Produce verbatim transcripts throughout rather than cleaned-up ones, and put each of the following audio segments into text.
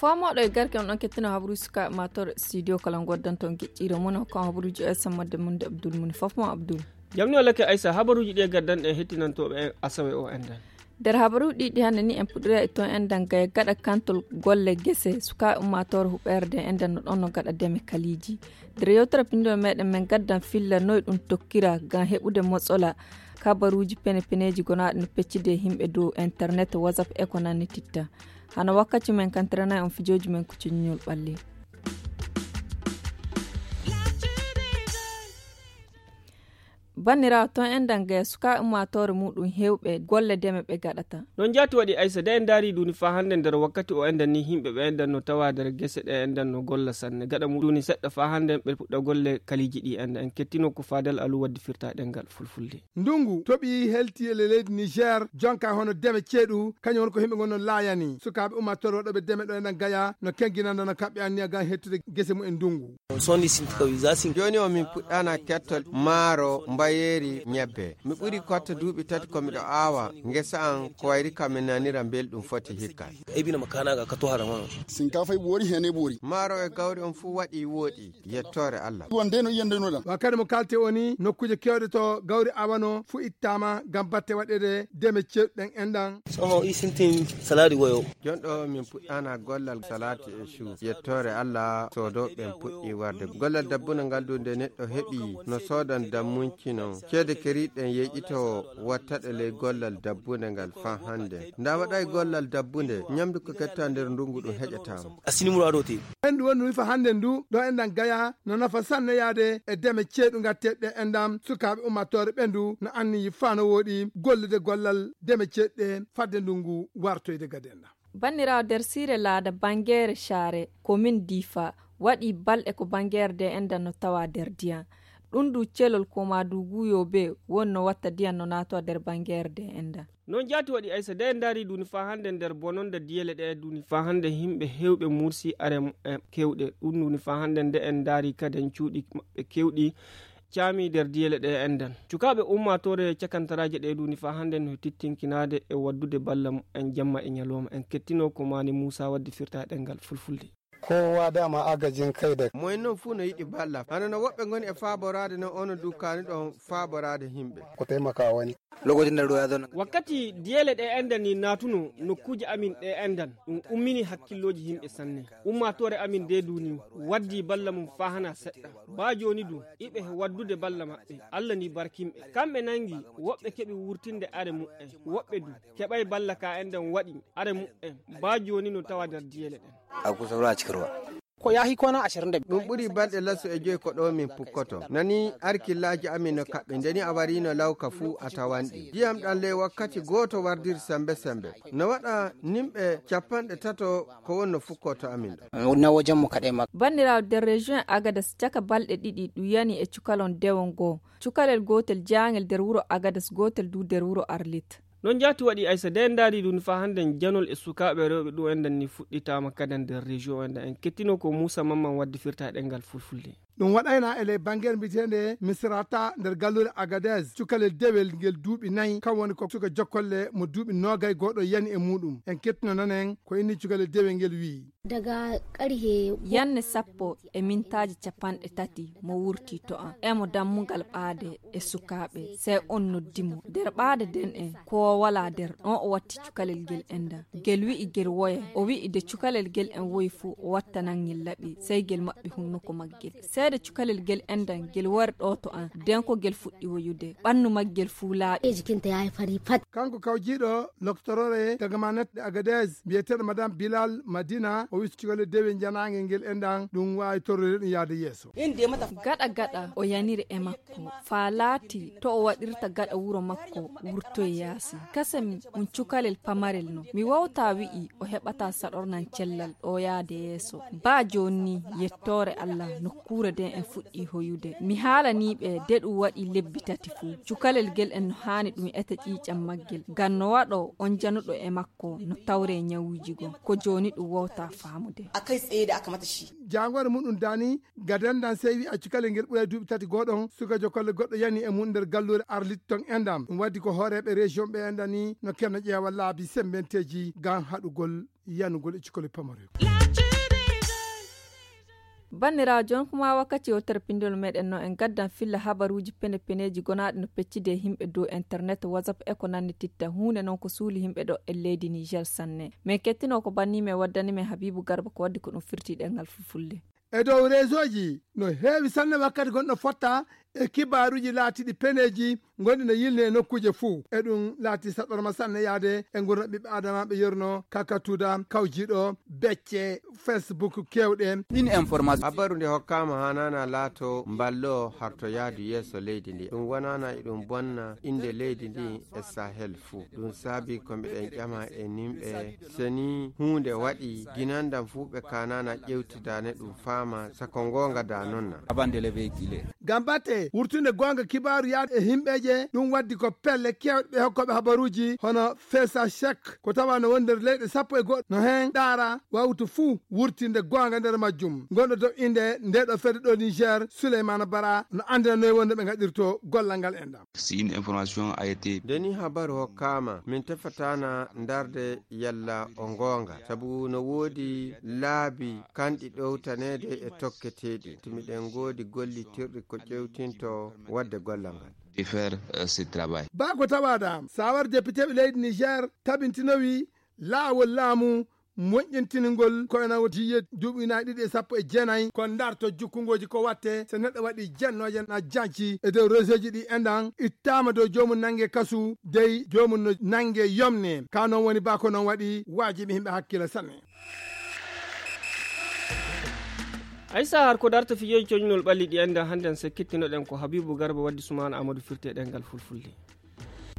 Ko moɗo e garke on ɗon kettino habaruuji sukaaɓe maatoore studio kala ngoddanto on geƴƴiire mum, on kon habaruuji o S M madde mum de Abdul Muni fof mo Abdul. Jam ni o lake Aysa, habaruuji ɗi e gaddanɗe hettinontooɓe en asawe o enɗan. Nder habaruuji ɗi hannde ni en puɗɗira e ton enɗan gaya gaɗa kantol golle gese sukaaɓe ummaatoore huɓeere de enɗan no ɗon no gaɗa deme kaliiji. Nder yewtere pinndol meɗen men gaddan filla noy ɗum tokkira ngam heɓude motsola kabaruuji pene peneeji gonaaɗi no peccude e yimɓe dow internet, WhatsApp e ko nanni titta. Hano wakkati men kantiranay on fijooji men ko coññol ɓalli. Banniraawo ton enɗan gaya sukaaɓe ummaatoore muɗum hewɓe golle deme ɓe gaɗata. Ɗon jaati waɗi Aysa de en ndaari duni faa hannde nder wakkati o enɗan ni yimɓe ɓe enɗan no tawa nder gese ɗe enɗan no golla sanne gaɗa mu duni seɗɗa faa hannde ɓe puɗɗa golle kaliiji ɗi enɗan en kettino ko Fadel Alu waddi firta ɗengal fulfulde. Ndungu toɓi helti e leydi Niger jonka hono deme ceeɗu kañum woni ko yimɓe ngon non laayani sukaaɓe ummaatoore waɗooɓe deme ɗo enɗan gaya no kenginanda no kaɓɓe anniya ngam hettude gese mum en ndungu. Jooni o min puɗɗana kettol maaro mbayeeri ñebbe. Mi ɓuri kotta duuɓi tati ko miɗo aawa ngesa an ko wayri kam mi nanira mbelɗum foti hikka. Ebina ma kana ga kato harama. Sinkafa e ɓoori hene ɓoori. Maaro e gawri on fuu waɗi wooɗi. Yettoore Allah. Wonde no yiyande no ɗan. Wa kadi mo kalte woni nokkuuje kewɗe to gawri awano fu ittama ngam batte waɗede deme cewɗen enɗan. Soho i sintin saladi woyo. Jonɗo min puɗɗana gollal salati e shu. Yettoore Allah soodo ɓen puɗɗi warde. Gollal dabbuna ngal du nde neɗɗo heɓi no soodan dammunci non. Ceede keriɗen yeƴito wattaɗe ley gollal dabbunde ngal fa hannde. Nda waɗay gollal dabbunde, ñamdu ko ketta nder ndungu ɗum heƴataama. A sini murado te. En ɗum woni fa hannde ndu, ɗo enɗan gaya, no nafa sanne yaade e deme ceeɗu ngatteɗe enɗam, sukaaɓe ummaatoore ɓe ndu, no anniyi fa no wooɗi gollude gollal deme ceeɗe fadde ndungu wartoyde gade enɗam. Banniraawo nder siire laada Bangeere Caare, komin Difa, waɗi balɗe ko Bangeere de enɗan no tawa nder diyan. Ɗum du celol ko ma du guyo be wonno watta diyan no nato nder Bangeere de enɗan. Non jaati waɗi Aysa de en ndaari duni fa hannde nder bononde diyele ɗe duni fa hannde yimɓe hewɓe mursi are mu'en kewɗe. Ɗum duni fa hannde nde en ndaari kaden cuuɗi maɓɓe kewɗi caami nder diyele ɗe enɗan. Cukaaɓe ummaatoore cakantaraaje ɗe duni fa hannde no tittinkinaade e waddude balla mu'en jamma e ñalooma. En kettino ko maani Muusa waddi firta ɗengal fulfulde. Kowa dama agajin kai da. Moyen non fuu no yiɗi balla. Hano no woɓɓe ngoni e faaboraade no ono dukkaani ɗon faaboraade yimɓe. Ko taimaka wani. Lokacin da ruwa ya zauna. Wakkati diyele ɗe enɗan ni naatuno nokkuuje amin ɗe enɗan, ɗum ummini hakkillooji yimɓe sanne. Ummaatoore amin de duni waddi balla mum faa hana seɗɗa. Baa jooni du iɓe waddude balla maɓɓe. Allah ni barkimɓe. Kamɓe nangi woɓɓe keɓi wurtinde are mu'en. Woɓɓe du keɓay balla ka enɗan waɗi are mu'en. Baa jooni no tawa nder diyele ɗen. A kusa ruwa cikin ruwa. Ko yahi kwana ashirin da biyu. Ɗum ɓuri balɗe laso e joyi ko ɗo min pukkoto. Nani arkillaaji amin no kaɓɓi. Ndeni a warino lawka fuu a tawanɗi. Ndiyam ɗan ley wakkati gooto wardir sembe sembe. No waɗa nimɓe capanɗe tato ko wonno fukkoto amin ɗo. Na wajen mu kaɗai mak. Banniraawo nder région Agadez caka balɗe ɗiɗi ɗum yani e cukalon dewon goo. Cukalel gootel jaangel nder wuro Agadez, gootel du nder wuro Arlit. Non jaati waɗi Aysa de en ndaari ɗum fa hannde janol e sukaaɓe rewɓe ɗum enɗan ni fuɗɗitaama kaden nder région enɗan. En kettino ko Muusa Mamman waddi firta ɗengal fulfulde. Ɗum waɗayna e ley bangere mbiyeteende Misrata nder galluure Agadez. Cukalel dewel ngel duuɓi nayi, kam woni ko suka jokkolle mo duuɓi noogay gooɗo yani e muɗum. En kettino nanen ko inni cukalel dewel ngel wi'i. Daga karhe yanne sappo e mintaaji capanɗe tati mo wurti to am. Emo dammugal ɓaade e sukaaɓe, sey on noddi mo. Nder ɓaade nden en, ko o walaa nder, on o watti cukalel ngel enɗan. Ngel wi'i ngel woya. O wi'i nde cukalel ngel en woyi fuu, o wattanan ngel laɓi, sey ngel maɓɓi hunnuko maggel. Seede cukalel ngel enɗan, ngel wari ɗo to am, nden ko ngel fuɗɗi woyude. Ɓannu maggel fuu laaɓi. Jikinta ya yi fari fat. Kanko kawjiiɗo loktorore daga Manette de Agadez, mbiyeteeɗo Madame Bilal Madina, o wi'i cukalel dewel njanaangel ngel enɗan, ɗum waawi torrude ɗum yaade yeeso. Gaɗa gaɗa o yaniri e makko, faa laati to o waɗirta gaɗa wuro makko wurtoy yaasi. Kasen um cukalel pamarel no. Mi wawta wi'i o heɓata saɗornan cellal ɗo yaade yeeso. Baa jooni ni, yettoore Allah, nokkuure nden en fuɗɗi hoyude. Mi haalanii ɓe de ɗum waɗi lebbi tati fuu. Cukalel ngel en no haani ɗum eta ƴiiƴam maggel. Ngam no waɗo on januɗo e makko no tawre ñawuuji goo. Ko jooni ɗum wawta faamude. A kai tsaye da aka mata shi. Jaangoore muɗum daani, gadandan sey wi'a cukalel ngel ɓuray duuɓi tati gooɗon, suka jokolle goɗɗo yani e mum nder galluure Arlit ton enɗan. Ɗum waddi ko hooreeɓe région ɓe enɗan ni no kenno ƴeewa laabi sembenteeji ngam haɗugol yanugol e cukalel pamarel. Banndiraajo, on kuma wakkati o terpindol meɗen no en gaddan filla habaruuji pene peneeji gonaaɗi no peccide e yimɓe dow internet, WhatsApp e ko nannititta. Huunde non ko suuli yimɓe ɗo e leydi Niger sanne. Men kettino ko banni men waddani men Habibu Garba ko waddi ko ɗum firti ɗengal fulfulde. E dow réseauji no heewi sanne wakkati gonɗo fotta e kibaaruuji laatiɗi peneeji gonɗi no yilne e nokkuuje fuu. E ɗum laati saɗɗorma sanne yaade e ngurndan ɓiɓɓe Adama ɓe yerno kakatuda kawjiɗo becce Facebook kewɗe. Ɗin information. Habaru nde hokkaama hanana laato mballo harto yaadu yeeso leydi ndi. Ɗum wonana e ɗum bonna innde leydi ndi e Sahel fuu. Ɗum saabi ko mbiɗen ƴama e nimɓe, so ni huunde waɗi, ginandan fuu ɓe kanana ƴewtidane ɗum faama, sako ngoonga da non na. Avant de le véhiculer. Ngam batte wurtunde goonga kibaaru yaade e himɓeeje, ɗum waddi ko pelle kewɗe ɓe hokkooɓe habaruuji hono Fesa Cheikh, ko tawa no woni nder leyɗe sappo e goɗɗo, no heen ɗaara wawtu fuu wurtinde goonga nder majjum. Gonɗo dow innde nde ɗo fedde ɗo Niger, Souleymane Bara, no anndina noy wonde ɓe ngaɗirto gollal ngal enɗam. Si une information a été. Nde ni habaru hokkaama, min tefataana ndarde yalla o ngoonga, sabu no woodi laabi kanɗi ɗowtaneede e tokketeeɗi. Tumi ɗen ngoodi gollitirɗi ko ƴewtinto wadde gollal ngal. De faire, euh, ce travail. Baa ko tawaɗa, sawar depiteeɓe leydi Niger tabintinowi laawol laamu moƴƴintiningol ko ena woti jiye duuɓi ujunaaji ɗiɗi e sappo e jeenayi, ko ndarto jukkungooji ko watte so neɗɗo waɗi jennooje na janci e dow réseauji ɗi enɗan ittaama dow joomum nannge kasu, dey joomum no nannge yomne. Ka noon woni baa ko noon waɗi waajibi yimɓe hakkila sanne. Aysa har ko darta fijoji coñnol ɓalli ɗi enɗan hannden se kettinoɗen ko Habibu Garba waddi Sumaana Amadou firte ɗengal fulfulde.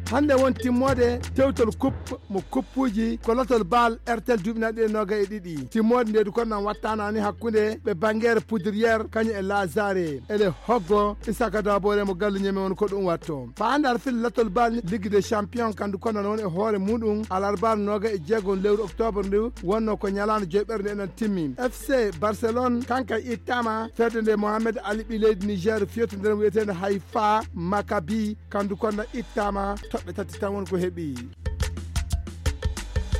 Hannde won timmoode tewtol kup mo kuppuuji ko lotol baal R T L duuɓi naɓi e noogay e ɗiɗi. Timmoode nde du kon nan wattaanaani hakkunde ɓe Banngeere Poudrière kañum e Lazare. Ele hoggo Isaka Dabore mo gallu ñeme won ko ɗum watto. Faandar fil lotol baal Ligue des Champions kandu kon nan won e hoore muɗum alarbaar noogay e jeegom lewru octobre ndu wonno ko ñalaande joyɓerde enen timmi. F C Barcelone kanka ittama fedde nde Mohamed Ali ɓi leydi Niger fiyotondira wiyeteende Haifa Maccabi. Kandu konna ittama toɓɓe tati tan woni ko heɓi.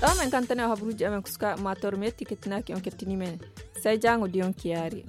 Ɗo men kantane o habruji amen kuska mator mi yetti kettinaaki on kettini men. Sai jango diyon kiyaari.